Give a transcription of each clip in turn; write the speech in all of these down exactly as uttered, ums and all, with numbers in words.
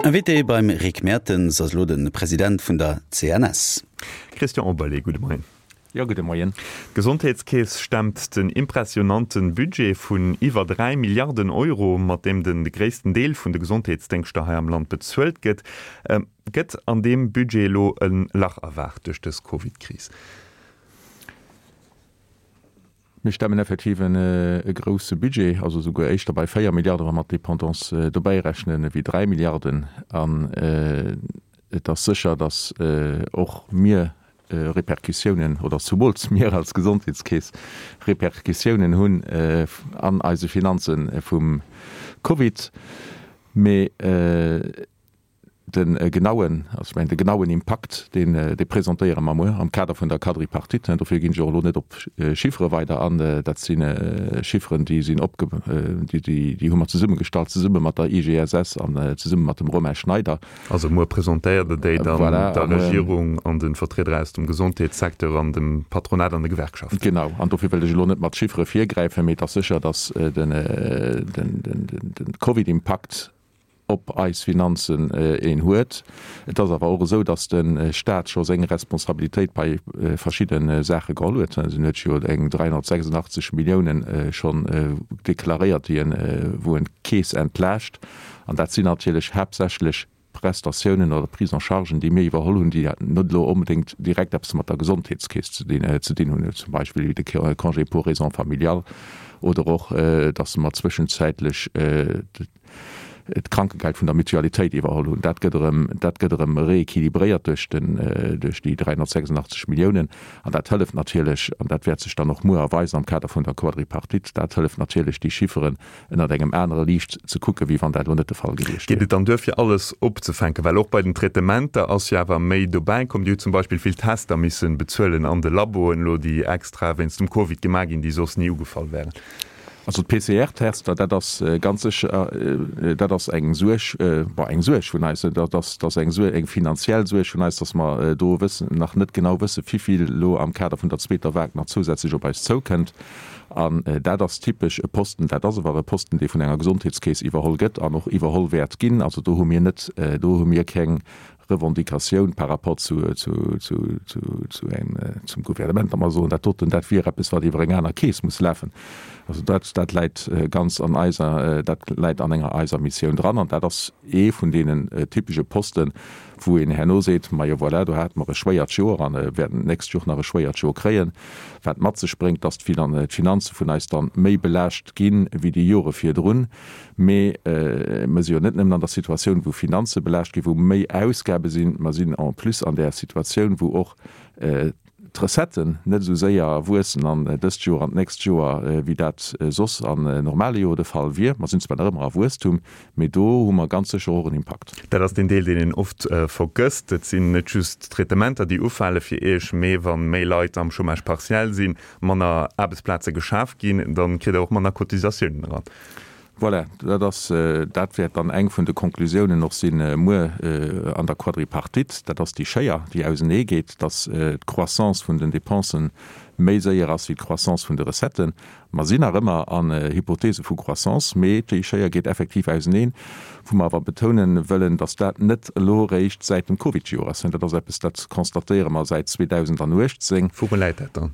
Invité beim Rick Mertens ass elo de President vun der C N S. Christian Oberlé, gudde Moien. Jo, gudde Moien. D'Gesondheetskeess stemmt den impressionante Budget vun iwwer dräi Milliarden Euro, mat deem de gréissten Deel vun de Gesondheetsdéngschter hei am Land bezuelt gëtt. Gëtt an deem Budget elo e Lach erwaart duerch dës Covid-Kris? Mir stemmen effektiv en e grousse Budget, also souguer éischter bei véier Milliarden, wa mer d'Dépendance dobäi rechnen, wéi dräi Milliarden. An et ass sécher, datt och mir Repercussiounen, oder zumools mir als Gesondheetskeess Repercussiounen hunn an eise Finanze vum Covid. Mee de genauen, also ech mengen de genauen Impakt, deen, dee presentéiere mer muer am Kader vun der Quadripartite. Dofir ginn ech och elo net op Chiffere weider an. Dat si Chifferen, déi sinn opge, déi, déi, déi hu mer zesummegestallt, zesumme mat der I G S S an zesumme mat dem Romain Schneider. Also muer presentéiert Der déi dann Voilà, der a muer Regierung an de Vertrieder aus dem Gesondheetssecteur an dem Patronat an de Gewerkschaften. Genau, an dofir wëll ech elo net mat Chiffere virgräifen, mee et ass sécher, datt den, den, den, den Covid-Impakt op eis Finanzen een huet. Et ass awer och esou, datt de Staat scho seng Responsabilitéit bei verschidde Saache geholl huet. En huet jo eng dräihonnertsechsundachtzeg Milliounen schonn deklaréiert, déi en, wou en d'Keess entlaascht. An dat sinn natierlech haaptsächlech Prestatiounen oder Prise-en-chargen, déi mir iwwerholl hunn, déi net elo onbedéngt direkt eppes mat der Gesondheetskeess ze dinn, ze dinn hunn, zum Beispill wéi de Congé pour raisons familiales oder och, datt mer zwëschenzäitlech d'Krankengeld vun der Mutualitéit iwwerholl hunn. Dat gëtt erëm, dat gëtt erëm rééquilibréiert duerch den, duerch déi dräihonnertsechsundachtzeg Milliounen. An dat hëlleft natierlech, an dat wäert sech dann och muer erweisen am Kader vun der Quadripartite, dat hëlleft natierlech, déi Chifferen ënnert engem anere Liicht ze kucken, wéi wann dat elo net de Fall gewiescht Geet wier. Et dann duer fir alles opzefänken? Well och bei den Traitementer ass jo awer méi dobäi komm. Dir hutt zum Beispill vill Tester missen bezuelen an de Laboen elo, déi extra wéinst dem Covid gemaach ginn, déi soss ni ugefall wären. Also d'P C R-Tester, dat ass ganz sécher, dat ass eng Suerg, bon, eng Suerg vun eis, dat ass, dat ass eng Suerg, eng finanziell Suerg vun eis, dass mer do wëssen, nach net genau wëssen, wivill elo am Kader vun der zweeter Vague nach zousätzlech op eis zoukënnt. An dat ass typesch e Posten, dat ass awer e Posten, dee vun enger Gesondheetskeess iwwerholl gëtt an och iwwerholl wäert ginn. Also do hu mir net, do hu mir keng Revendicatioun par rapport zu, zu, zu, zu, zu eng, zum Gouvernement, da mer soen, dat doten, dat wier eppes, wat iwwer eng aner Keess muss lafen. Also dat, dat läit ganz an eiser, dat läit an enger eiser Missioun dran an dat ass ee vun deenen typesche Posten, wou een herno seet, majo voilà, do hate mer e schwéiert Joer an wäerten d'nächst Joer nach e schwéiert Joer kréien, wat mat sech bréngt, dass d'Finanze vun eis dann méi belaascht ginn wéi déi Jore virdrun. Mee mer si jo net nëmmen an der Situatioun, wou Finanze belaascht ginn, wou méi Ausgabe sinn, mer sinn en plus an där Situatioun, wou och d'Recetten net esou séier wuessen an dëst Joer an d'nächst Joer, wéi dat soss an normale Joer de Fall wier. Mer sinn zwar nach ëmmer a Wuesstum, mee do hu mer ganz sécher och en Impakt. Dat ass deen Deel, deen een oft vergësst. Et sinn net just d'Traitementer, déi ufale fir Iech, mee wa méi Leit am Chômage partiel sinn, manner Aarbechtsplaze geschaf ginn, da kritt Der och manner Cotisatiounen eran. Voilà, dat ass, dat wäert dann eng vun de Konklusiounen och sinn muer an der Quadripartite. Dat ass déi Schéier, déi auseneegeet, dass d'Croissance vun den Dépensen méi séier ass wéi d'Croissance vun de Recetten. Mer sinn nach ëmmer an Hypothese vu Croissance, mee déi Schéier geet effektiv auseneen, wou mer awer betounen wëllen, dass dat net elo eréischt säit dem Covid-Joer ass. Dat ass eppes, dat constatéiere mer säit zweedausendauechtzéng. Wouru läit dat dann?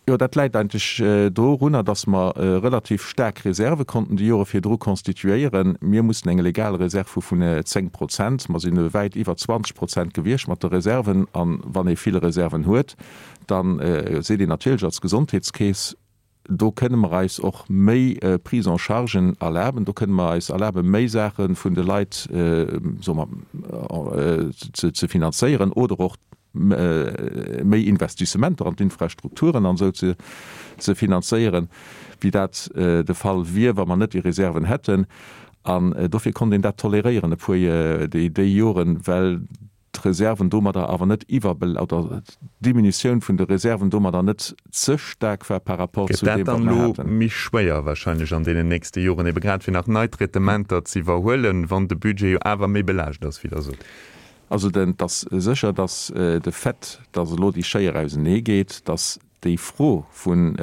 Jo, dat läit eigentlech dorunner, dass mer relativ staark Reserve konnten déi Jore virdru constituéieren. Mir mussen eng legal Reserve hu vun zéng Prozent. Mer sinn wäit iwwer zwanzeg Prozent gewiescht mat de Reserven. A wann ee vill Reserven huet, da seet een natierlech als Gesondheetskeess, do kënne mer eis och méi Prise-en-chargen erlaben, do kënne mer eis erlaben, méi Saache vun de Leit, soe mer, ze finanzéieren oder och méi Investissementer an d'Infrastrukturen an esou ze ze finanzéieren, wéi dat de Fall wier, wa mer net déi Reserven hätten. An dofir konnt een dat toleréieren e puer déi déi Joren, well d'Reserven domadder awer net iwwerbel oder d'Diminutioun vun de Reserven domadder net ze staark war par rapport Gëtt zu dat deem, wat dann mer elo haten. méi schwéier wahrscheinlech an deenen nächste Joren, ebe grad fir nach nei Traitementer ze iwwerhuelen, wann de Budget jo awer méi belaascht ass, wéi Der sot? Also den, et ass sécher, datt de Fait, datt elo déi Schéier auseneegeet, datt déi Fro vun,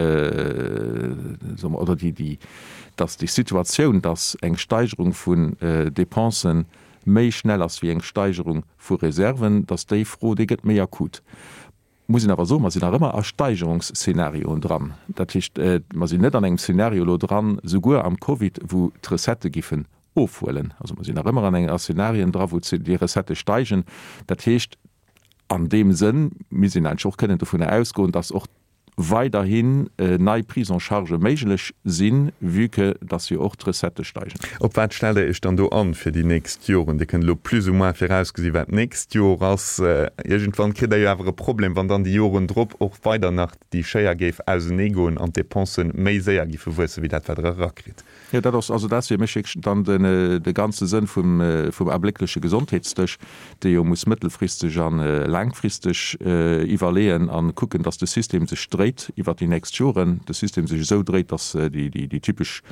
soe mer, oder déi, déi, datt déi Situatioun, datt eng Steigerung vun Dépensen méi schnell ass wéi eng Steigerung vu Reserven, dass déi Fro, déi gëtt méi akut. Muss een awer soen, mer sinn nach ëmmer a Steigerungsszenarioen dran. Dat heescht, mer sinn net an engem Szenario elo dran, souguer am Covid, wou d'Recettë giffen ofhuelen. Also mer sinn nach ëmmer an enger a Szenarien dra wou déi Recettë steigen. Dat heescht, an deem Sënn misst een eigentlech och kënnen dovunner ausgoen, dass och weiderhin nei Prise-en-chargë méiglech sinn, vue que dass jo och d'Recettë steigen. Op wat stellt Der Iech dann do an fir déi nächst Joren? Dir kënnt elo plus ou moins virausgesi wat d'nächst Jor ass. Iergendwann kritt Der jo awer e Problem, wann dann déi Joren drop och weider nach déi Schéier géif auseneegoen an d'Dépensen méi séier giffe wuessen, wéi dat wat Der erakritt. Jo, dat ass, also dat ass fir mech wierklech dann den, de ganze Sënn vum, vum abléckleche Gesondheetsdësch, dee jo muss mëttelfristeg a laangfristeg iwwerleeën a kucken, dass de System sech dréit iwwert déi nächst Joren, de System sech esou dréit, dass déi, déi, déi typesch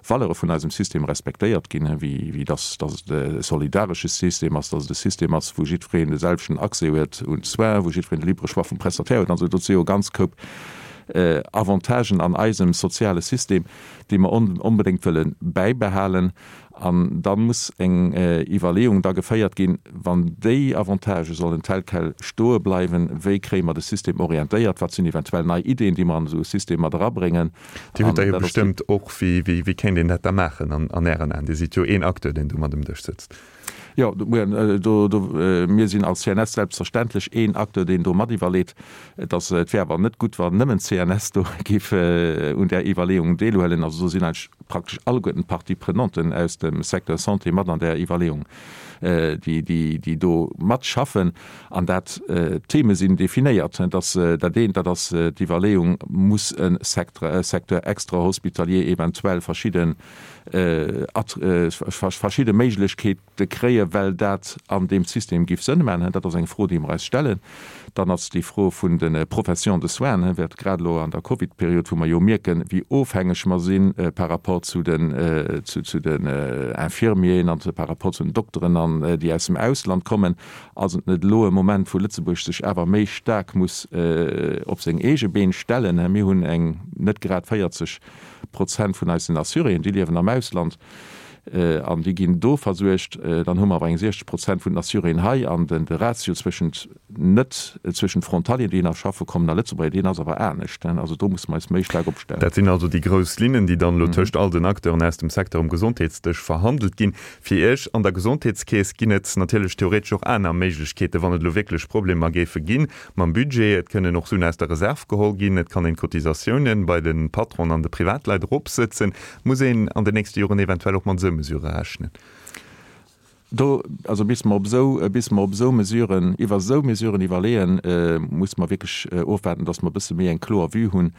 Valeure vun eisem System respektéiert ginn, wéi, wéi dass, dass et e solidaresche System ass, dass et e System ass, wou jiddwereen de selwechten Accès huet un d'Soins, wou jiddwereen de libre Choix vum Prestataire huet an esou. Do si jo e ganz Koup Avantagen an eisem soziale System, déi mer onbedéngt wëlle bäibehalen. An da muss eng Iwwerleeung da geféiert ginn, wann déi Avantagë sollen tel quel stoe bleiwen, wéi kréie mer de System orientéiert, wat sinn eventuell nei Ideen, déi mer an esou e System mat erabréngen. Dir hutt der jo bestëmmt och, wéi kéint een dat da maachen an Ären Aen? Dir sidd jo een Acteur, deen do mat um Dësch sëtzt. Jo, do, mir sinn als C N S selbstverständlech een Acteur, deen do mat iwwerleet. Et ass, et wär awer net gutt, wann nëmmen d'C N S do géif un där Iwwerleeung deelhuelen. Also do sinn eigentlech praktesch alleguerten d'Parties prenanten aus dem Secteur Santé mat an där Iwwerleeung, déi, déi, déi do matschaffen. An dat, d'Theme sinn definéiert. Dass dat eent, dat ass d'Iwwerleeung, Muss e Secteur, Secteur extra-hospitalier eventuell verschidden, verschidde Méiglechkeete kréien, well dat an deem System giff Sënn maachen? Dat ass eng Fro, déi mer eis stellen. Dann ass déi Fro vun de Professions de soins, wäert grad elo an der Covid-Period, wou mer jo mierken, wéi ofhängeg mer si par rapport zu den, zu den Infirmieren an par rapport zu den Dokteren, an déi aus dem Ausland kommen, ass et net elo e Moment, wou Lëtzebuerg sech awer méi staark muss op seng eege Been stellen? Mir hunn eng net grad véierzeg Prozent vun eisen Assuréen, déi liewen am Ausland an déi ginn do versuergt. Dann hu mer awer eng siechzeg Prozent vun den Assuréen hei an den de Ratio zwëschent net zwëschent Frontalieren, déi nach schaffe kommen, a Lëtzebuerger, deen ass awer anescht. Also do musse mer eis méi staark opstellen. Dat sinn also déi grouss Linnen, déi dann elo tëscht all den Acteuren aus dem Secteur um Gesondheetsdësch verhandelt ginn. Fir Iech an der Gesondheetskeess ginn et natierlech theoretesch och aner Méiglechkeeten, wann et elo wierklech Problemer géife gi mam Budget. Et kënnen och Suen aus der Reserv geholl ginn, et kann een d'Cotisatiounen bei de Patronen an de Privatleit eropsëtzen. Muss een an den nächste Joren eventuell och mat esou Mesurë rechnen? Do, also bis mer op esou, bis mer op esou Mesuren, iwwer esou Mesuren iwwerleeën, muss mer wierklech ofwaarden, dass mer e bësse méi eng kloer Vue hunn,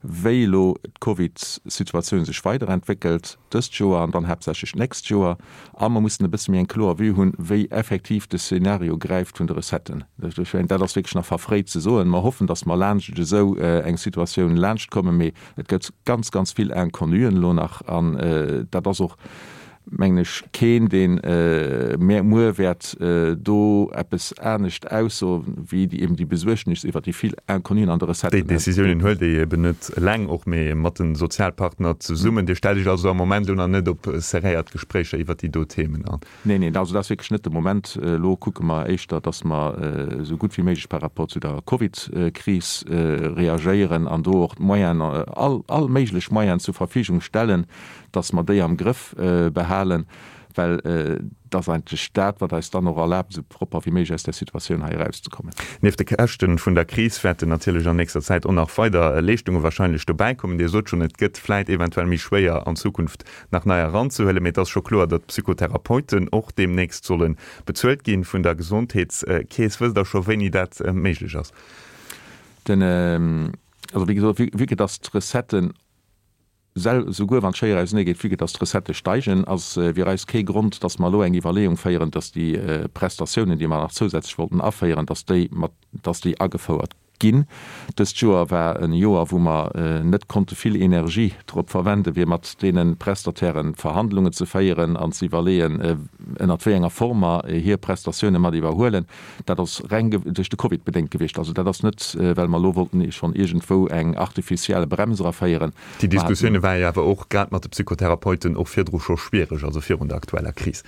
wéi elo d'Covidsituatioun sech weiderentwéckelt dëst Joer an dann haaptsächlech d'nächst Joer. A mer mussen e bësse méi eng kloer Vue hunn, wéi effektiv de Szenario gräift vun de Recetten. Ech mengen, dat ass wierklech nach verfréit ze soen. Mer hoffen, datt mer laanscht esou eng Situatioun laanschtkommen, mee et gëtt ganz, ganz vill Inconnuen elo nach. An dat ass och, mengen ech, keen, deen muer wäert do eppes anescht aussoen, wéi eben déi Besuergnis iwwert déi vill Inconnuen an de Déi Recetten. Décisiounen huelt Dir eben net eleng, och mee mat de Sozialpartner zesummen. Dir stellt Iech also am Moment elo nach net op serréiert Gespréicher iwwert déi do Themen an? Neen, neen, also dat ass wierklech net de Moment. Elo kucke mer éischter, datt mer esou gutt wéi méiglech par rapport zu der Covid-Kris reagéieren an do och d'Moyenen, all, all méiglech Moyenen zur Verfügung stellen, dass mer déi am Grëff behalen, well et ass eigentlech dat, wat eis dann och erlaabt, esou propper wéi méiglech aus där Situatioun hei erauszekommen. Nieft de Käschte vun der Kris wäerten natierlech an nächster Zäit och nach weider Leeschtunge wahrscheinlech dobäikommen. Dir sot schonn, et gëtt vläit eventuell méi schwéier an Zukunft nach nei eranzehuelen, mee et ass scho kloer, datt d'Psychotherapeuten och deemnächst solle bezuelt gi vun der Gesondheetskeess. Wësst Der scho wéini dat méiglech ass? Den, also wéi gesot, vue que dass d'Recetten Souguer wann d'Schéier ausenee geet, vue que dass d'Recettë steigen, ass fir eis kee Grond, dass mer elo eng Iwwerleeung féieren, dass déi Prestatiounen, déi mer nach zousätzlech wollten aféieren, dass déi mat, dass déi agefouert ginn. Dëst Joer war e Joer, wou mer net konnte vill Energie drop verwenden, fir mat deene Prestatairen Verhandlungen ze féieren an ze iwwerleeën, ënnert wéi enger Form mer hir Prestatioune mat iwwerhuelen. Dat ass reng duerch de Covid bedéngt gewiescht. Also dat ass net, well mer elo wollten schonn iergendwou eng artificielle Brems eraféieren. Déi Diskussioune ware jo awer och grad mat de Psychotherapeuten och virdru scho schwiereg, also virun der aktueller Kris.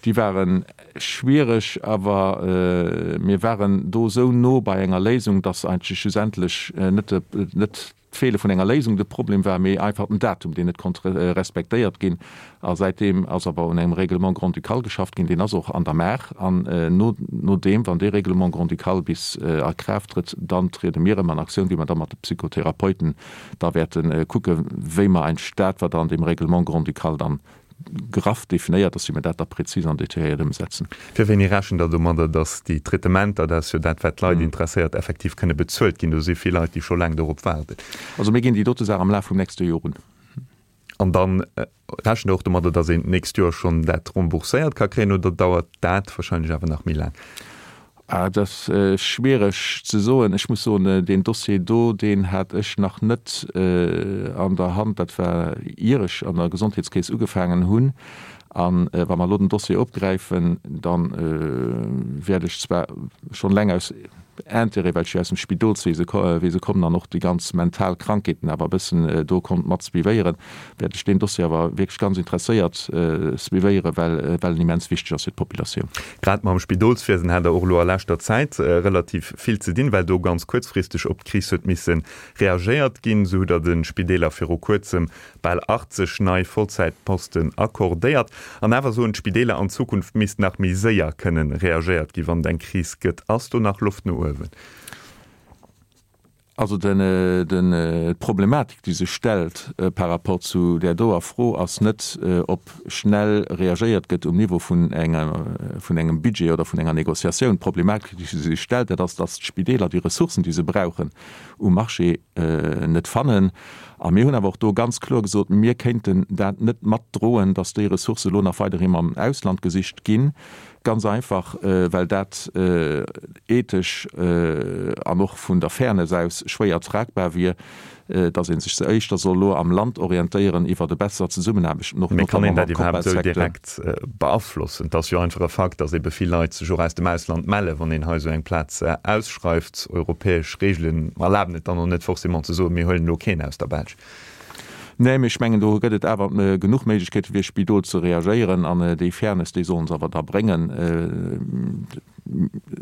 Déi ware schwiereg, awer mir waren do esou no bei enger Léisung, dass eigentlech schlussendlech net net d'Feele vun enger Léisung de Problem war, mee einfach den Datum, deen net konnt respektéiert ginn. A säitdeem ass awer un engem Règlement grand-ducal geschafft ginn, deen ass och an der Maach. An no no deem, wann dee Règlement grand-ducal bis a Kraaft trëtt, dann triede mir erëm an Aktioun, wéi mer da mat de Psychotherapeuten da wäerte kucken, wéi mer eigentlech dat, wat an deem Règlement grand-ducal dann graff definéiert ass, wéi mer dat da prezis an detailléiert ëmsetzen. Fir wéini rechent Der domadder, datt déi Traitementer, dat ass jo dat, wat d'Leit interesséiert, effektiv kënne bezuelt ginn? Do si vill Leit, déi scho laang dorop waarden. Also mir ginn déi dote Saach am Laf vum nächste Joer un. An da rechent Der och domadder, datt een d'nächst Joer schonn dat rembourséiert ka kréien, oder dauert dat wahrscheinlech awer nach méi laang? Dat ass schwiereg ze soen. Ech muss soen, deen Dossier do, deen hat ech nach net an der Hand. Dat war ier ech an der Gesondheetskeess ugefaangen hunn. A wa mer elo den Dossier opgräifen, da wäert ech zwar schonn eleng aus Intérêt, well ech jo aus dem Spidolswese kommen an och déi ganz mental Krankheeten awer e bëssen do konnt mat suivéieren, wäert ech deen Dossier awer wierklech ganz interesséiert suivéieren, well well en immens wichteg ass fir d'Populatioun. Grad mam Spidolswiesen hat Der och elo a leschter Zäit relativ vill ze dinn, well do ganz kuerzfristeg op d'Kris huet misse reagéiert ginn. Esou hutt Der de Spideeler viru Kuerzem bal achtzeg nei Vollzäitposten accordéiert. An awer soen d'Spideeler, an Zukunft misst nach méi séier kënnen reagéiert ginn, wann et eng Kris gëtt. Ass do nach Loft no uewen? Also d'Problematik, déi sech stellt par rapport zu där doer Fro, ass net, ob schnell reagéiert gëtt um Niveau vun engem Budget oder vun enger Négociatioun. D'Problematik, déi sech stellt, dat ass, datt d'Spideeler déi Ressourcen, déi se brauchen, um Marché net fannen. A mir hunn awer och do ganz kloer gesot, mir kéinten dat net matdroen, datt déi Ressourcë lo nach weiderhi mam Ausland gesicht ginn. Ganz einfach, well dat ethesch an och vun der Fairness aus schwéier tragbar wier, datt ee sech ze éischter soll elo am Land orientéieren iwwert e besser Zesummenaarbecht, och Mee kann een notamment dat mam iwwerhaapt esou Corpelsecteur. direkt beaflossen? Et ass jo einfach e Fakt, datt ebe vill Leit sech och aus dem Ausland mellen, wann een hei esou eng Plaz ausschreift. Europäesch Reegelen erlaben et dann och net forcément ze soen, mir huelen elo keen aus der Belsch. Nee, mee ech mengen, do gëtt et awer genuch Méiglechkeete fir Spidol ze reagéieren an déi Fairness, déi sollen se awer da bréngen.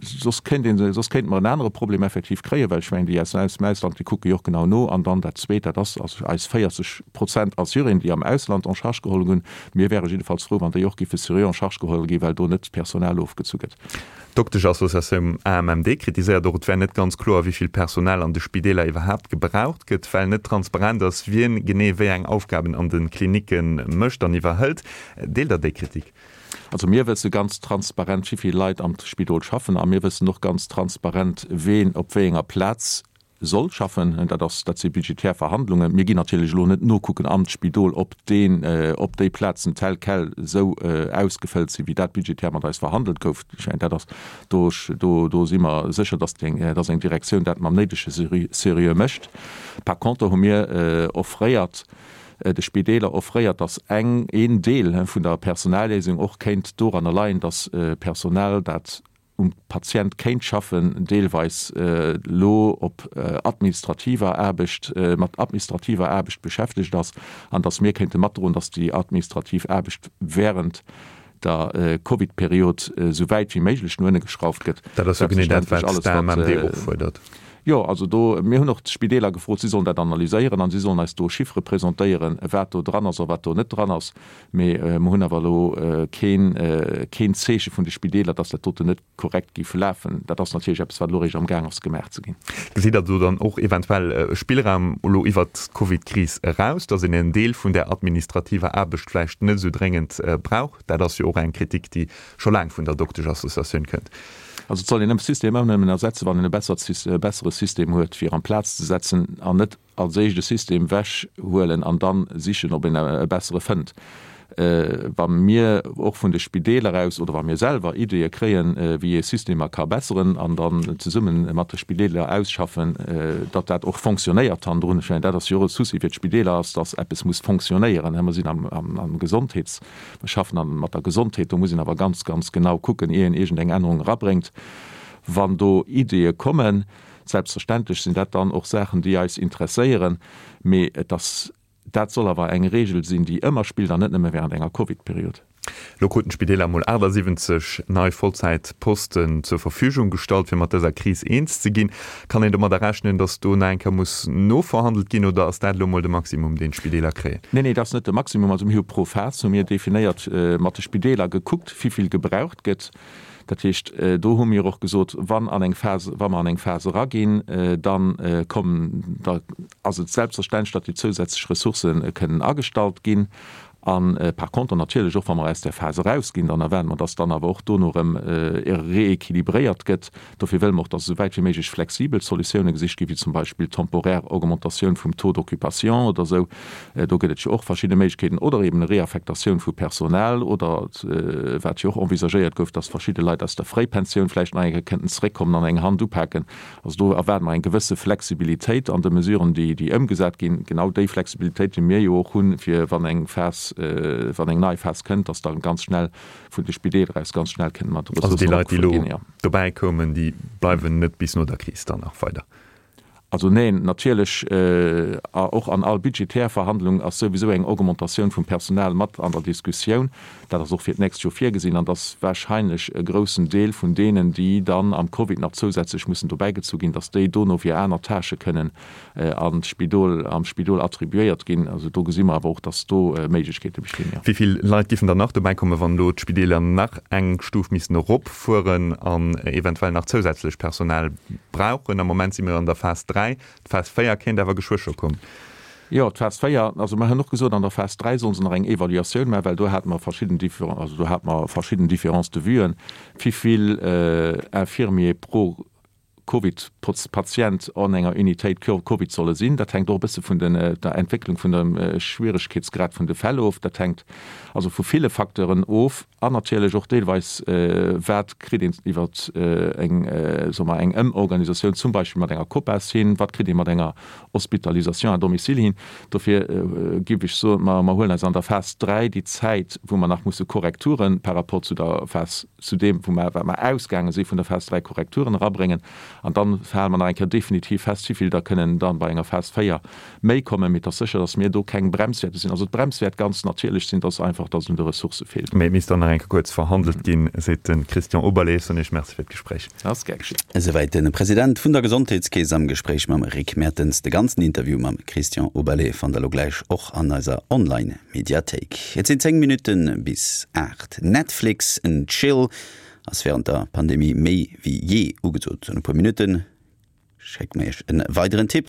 Soss kéint een, soss kéinte mer en anere Problem effektiv kréien, well ech mengen, déi aus dem Ausland, déi kucke jo och genau no. An dann dat Zweet, dat ass also eis véierzeg Prozent Assuréen, déi am Ausland en charge geholl ginn. Mir wäre jiddefalls frou, wann déi och géife seriö en charge geholl ginn, well do net d'Personal ofgezu gëtt. D'Dokteschassociatioun A M M D kritiséiert och, et wär net ganz kloer, wéi vill Personal an de Spideeler iwwerhaapt gebraucht gëtt, well net transparent ass, wien genee wéi eng Aufgaben an de Klinicke mécht an iwwerhëlt. Deelt Der déi Kritik? Also mir wësse ganz transparent, wéi vill Leit am Spidol schaffen a mir wëssen och ganz transparent, ween op wéi enger Plaz soll schaffen. Dat ass, dat si budgetär Verhandlungen. Mir ginn natierlech elo net nokucken an d'Spidol, ob deen, ob déi Plazen tel quel esou ausgefëllt sinn, wéi dat budgetär mat eis verhandelt gouf. Ech mengen, dat ass, do, do, do si mer sécher, dass déi, dass eng Direktioun dat mam néidege Seriö mécht. Par contre hu mir offréiert, de Spideeler offréiert, dass eng, een Deel vun der Personalléisung och kéint doranner leien, dass Personal, dat um Patient kéint schaffen, deelweis elo op administrativer Aarbecht, mat administrativer Aarbecht beschäftegt ass, an dass mir kéinte matdroen, dass déi administrativ Aarbecht während der Covid-Period esou wäit wéi méiglech no ënne geschrauft gëtt. Dat ass jo genee dat, wat d'A M M D och fuerdert. Jo, also do, mir hunn och d'Spideeler gefrot, si sollen dat analyséieren an si sollen eis do Chiffere presentéieren, wat do dran ass a wat do net dran ass. Mee mer hunn awer elo keen, keen Zeeche vun de Spideeler, dass dat doten net korrekt géif lafen. Dat ass natierlech eppes, wat elo eréischt amgaang ass gemaach ze ginn. Gesitt Der do dann och eventuell e Spillraum elo iwwert d'Covidkris eraus, dass een en Deel vun där administrativer Aarbecht vläicht net esou dréngend brauch? Dat ass jo och eng Kritik, déi scho laang vun der Dokteschassociatioun kënnt. Also et soll een e System ëmmer nëmmen ersetzen, wann een e bessert, e bessere System huet, fir amplaz ze setzen, an net als éischt e System wechhuelen an dann sichen, ob een e bessere fënnt. Wa mir och vun de Spideeler aus oder wa mir selwer Ideeë kréien, wéi ee Systemer ka besseren an dann zesumme mat de Spideeler ausschaffen, datt dat och fonctionnéiert hannendrun. Ech mengen, dat ass jo och e Souci fir d'Spideeler ass, datt eppes muss fonctionnéieren. Mer sinn am Gesondheets, mer schaffen mat der Gesondheet, do muss een awer ganz, ganz genau kucken, ier een iergendeng Ännerung erabréngt. Wann do Ideeë kommen, selbstverständlech sinn dat dann och Saachen, déi eis interesséieren, mee et ass, dat soll awer eng Regel sinn, déi ëmmer spillt an net nëmme während enger Covid-Period. Elo kruten d'Spideeler emol achtasiwwenzeg nei Vollzäitposten zur Verfügung gestallt, fir mat dëser Kris eens ze ginn. Kann een domadder rechnen, datt do nach eng Kéier muss noverhandelt ginn oder ass dat elo emol de Maximum, deen d'Spideeler kréien? Neen, nee, dat ass net de Maximum. Also mir hu pro Phas hu mir definéiert, mat de Spideeler gekuckt, wivill gebraucht gëtt. Dat heescht, do hu mir och gesot, wann an eng Phas, wa mer an eng Phas eraginn, da kommen, da ass et selbstverständlech, datt déi zousätzlech Ressourcë kënnen agestallt ginn. A par contre natierlech och, wa mer aus där Phas erausginn, dann erwaarde mer, datt dann awer och dono erëm rééquilibréiert gëtt. Dofir wëlle mer och, datt esou wäit wéi méiglech flexibel Solutioune gesicht ginn, wéi zum Beispill temporär Augmentatioun vum Taux d'occupation oder esou. Do gëtt et jo och verschidde Méiglechkeeten, oder eben Reaffektatioun vu Personal oder, wat jo och envisagéiert gouf, dass verschidde Leit aus der Fréipensioun vläicht nach eng Kéier kënnten zeréckkommen an eng Hand upaken. Also do erwaarde mer eng gewësse Flexibilitéit an de Mesuren, déi, déi ëmgesat ginn. Genau déi Flexibilitéit, déi mir jo och hunn, fir wann eng Phas, wann eng nei Phas kënnt, dass da ganz schnell vun de Spideeler aus ganz schnell kënne mat Also déi Ressourcen Leit, déi opgefëllt elo ginn, jo. dobäi koumen, déi bleiwen net bis no der Kris dann nach weider? Also neen, natierlech, och an all budgetär Verhandlung ass souwisou eng Augmentatioun vum Personal mat an der Diskussioun. Dat ass och fir d'nächst Joer virgesinn an dass wahrscheinlech e groussen Deel vun deenen, déi dann am Covid nach zousätzlech mussen dobäigezu ginn, dass déi dono fir aner Tâchë kënnen an d'Spidol, am Spidol attribuéiert ginn. Also do gesi mer awer och, dass do Méiglechkeete bestinn, jo. Wéi vill Leit giffen dann nach dobäikommen, wann elo d'Spideeler nach eng Stuf missten eropfueren an eventuell nach zousätzlech Personal brauchen? Am Moment si mir an der Phas dräi. D'Phas véier kéint awer geschwë scho kommen. Jo, d'Phas véier, also mer hunn och gesot, an der Phas dräi solle se nach eng Evaluatioun maachen, well do hate mer verschidden Diffé-, also do hate mer verschidden Différences de vuen, wivill Infirmier pro Covid-Patient an enger Unitéit Covid solle sinn. Dat hänkt och e bësse vun der Entwécklung vun dem Schwieregkeetsgrad vun de Fäll of. Dat hänkt also vu ville Facteuren of an natierlech och deelweis, wat kritt een iwwer eng, soe mer, eng Ëmorganisatioun zum Beispill mat enger COPAS hin, wat kritt ee mat enger Hospitalisation à domicile hin. Dofir géif ech soen, mer huelen eis an der Phas dräi déi Zäit, wou mer nach musse Korrekture par rapport zu der Phas, zu deem, wou mer, wat mer ausgaange si vun der Phas dräi, Korrekturen erabréngen. An dann hale mer nach eng Kéier definitiv fest, wivill der kënnen dann bei enger Phas véier méi kommen. Mee et ass sécher, dass mir do keng Brems wäerte sinn. Also d'Brems wäert ganz natierlech sinn, dass einfach, dass et un de Ressourcë feelt. Mee et misst dann nach eng Kéier kuerz verhandelt ginn, seet de Christian Oberlé. Ech soen Iech Merci fir d'Gespréich. Ass gär geschitt. Esouwäit de President vun der Gesondheetskeess am Gespréich mam Rick Mertens. De ganzen Interview mam Christian Oberlé fannt der elo gläich och an eiser Online-Mediathéik. Et sinn zéng Minutte bis aacht. Netflix and Chill ass wärend der Pandemie méi wéi jee ugesot. An e puer Minutte schécke mer iech e weideren Tipp.